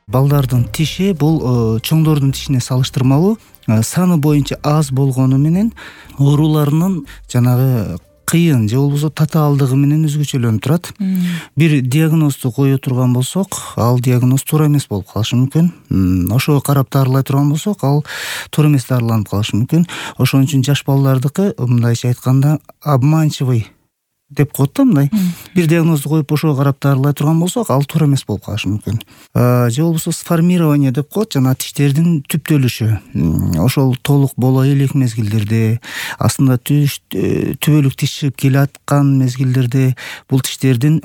Балдардын тиши бул чоңдордун тишине салыштырмалуу саны боюнча аз болгону менен ооруларынын жанагы кыйын же болбосо татаалдыгы менен өзгөчөлөнүп турат. Бир диагнозду кое турган болсок, ал диагноз туура эмес болуп калышы мүмкүн. Ошого карап дарылай турган болсок, ал туура эмес дарыланып калышы мүмкүн. Ошон үчүн жаш балдардыкы мындайча айтканда обманчивый деп коет да, мындай. Бир диагнозду коюп ошого карап дарылай турган болсок, ал туура эмес болуп калышы мүмкүн. Же болбосо сформирование деп коет, жана тиштердин түптөлүшү. Ошол толук боло элек мезгилдерде, астында түбөлүк тиш чыгып келаткан мезгилдерде бул тиштердин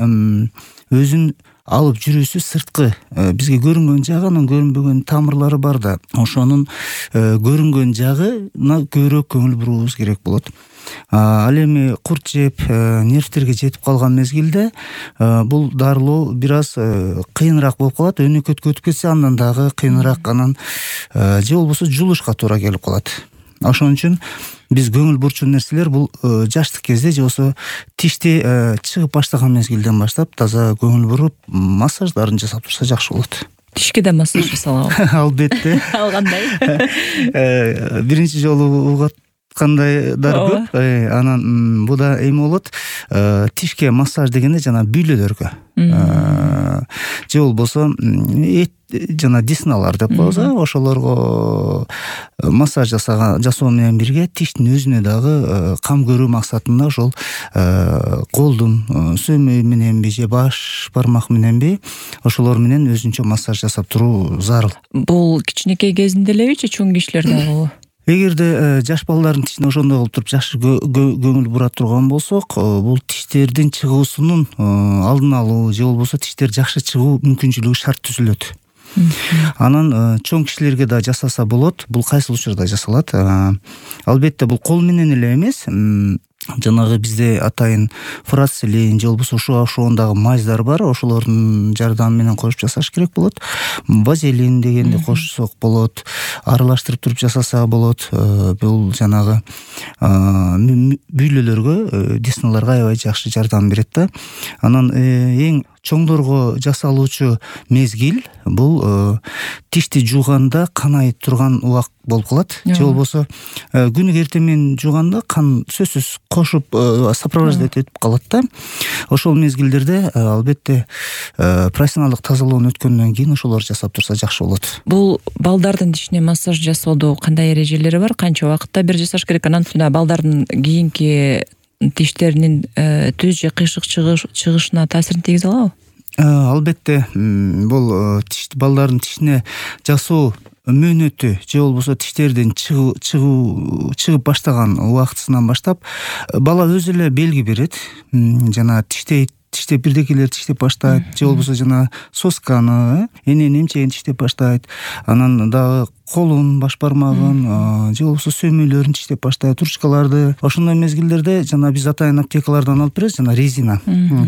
өзүн алып жүрүүсү сырткы бизге көрүнгөн жагы, анан көрүнбөгөн тамырлары бар да. Ошонун көрүнгөн жагына көбүрөөк көңүл буруубуз керек болот. Ал эми курт жеп, нервтерге жетип калган мезгилде бул дарылоо бир аз кыйыныраак болуп калат. Өнөкөткө өтүп кетсе, андан дагы кыйыныраак, анан же болбосо жулушка туура келип калат. Ошон үчүн биз көңүл бурчун нерселер бул жаштык кезде же болбосо тишти чыгып баштаган мезгилден баштап таза көңүл буруп массаждарын жасап турса жакшы болот. Тишке да массаж жасалабы? Албетте. Ал кандай? Биринчи жолу кандайдар көп. Анан буда эме болот. Тишке массаж дегенде жана бүйлөлөргө же болбосо жана десналар деп коебуз, ошолорго массаж жасоо менен бирге тиштин өзүнө дагы кам көрүү максатында ошол колдун сөөмөй мененби же баш бармак мененби ошолор менен өзүнчө массаж жасап туруу зарыл. Бул кичинекей кезинде элеби же чоң кишилер дагы? Эгерде жаш балдардын тишине ошондой кылып туруп жакшы көңүл бура турган болсок, бул тиштердин чыгуусунун алдын алуу же болбосо тиштер жакшы чыгуу мүмкүнчүлүгү шарт түзүлөт. Анан чоң кишилерге да жасаса болот. Бул кайсыл учурда жасалат? Албетте бул кол менен эле эмес, жанагы бизде атайын фурацилин же болбосо ошондагы маздар бар, ошолордун жардамы менен кошуп жасаш керек болот. Вазелин дегенди кошсок болот, аралаштырып туруп жасаса болот. Бул жанагы бүйлөлөргө, десналарга аябай жакшы жардам берет да. Анан эң чоңдорго жасалуучу мезгил бул тишти жууганда кан айып турган убакыт болуп калат. Же болбосо күнүгө эртең жууганда кан сөзсүз кошуп сопровождать этип калат да. Ошол мезгилдерде албетте профессионалдык тазалоону өткөндөн кийин ошолорду жасап турса жакшы болот. Бул балдардын тишине массаж жасоодо кандай эрежелери бар? Канча убакытта бир жасаш керек? Анан балдардын кийинки тиштеринин түз же кыйшык чыгышына таасирин тийгизе алабы? Албетте бул балдардын тишине жасоо мөөнөтү же болбосо тиштердин чыгып баштаган убактысынан баштап бала өзү эле белги берет. Жана тиштеп бирдекелер тиштеп баштайт, же болбосо жана сосканы, энени эмчегин тиштеп баштайт. Анан дагы колун, баш бармагын, же болбосо сөөмөйлөрүн тиштеп баштайт, ручкаларды. Ошондой мезгилдерде жана биз атайын аптекалардан алып беребиз, жана резина.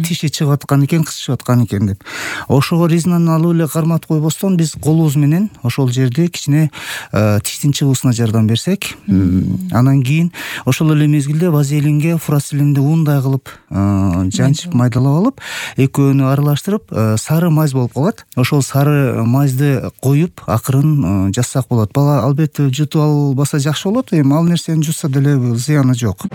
Тиши чыгып аткан экен, кысышып аткан экен деп. Ошого резинаны алып эле карматып койбостон биз колубуз менен ошол жерде кичине тиштин чыгуусуна жардам берсек, анан кийин ошол эле мезгилде вазелинге фурацилинди уундай кылып жанчып майдалап алып, экөөнү аралаштырып сары мазь болуп калат. Ошол сары мазьды коюп акырын жасасак болот. Бала албетте жутуп албаса жакшы болот. Эми ал нерсени жутса деле зыяны жок.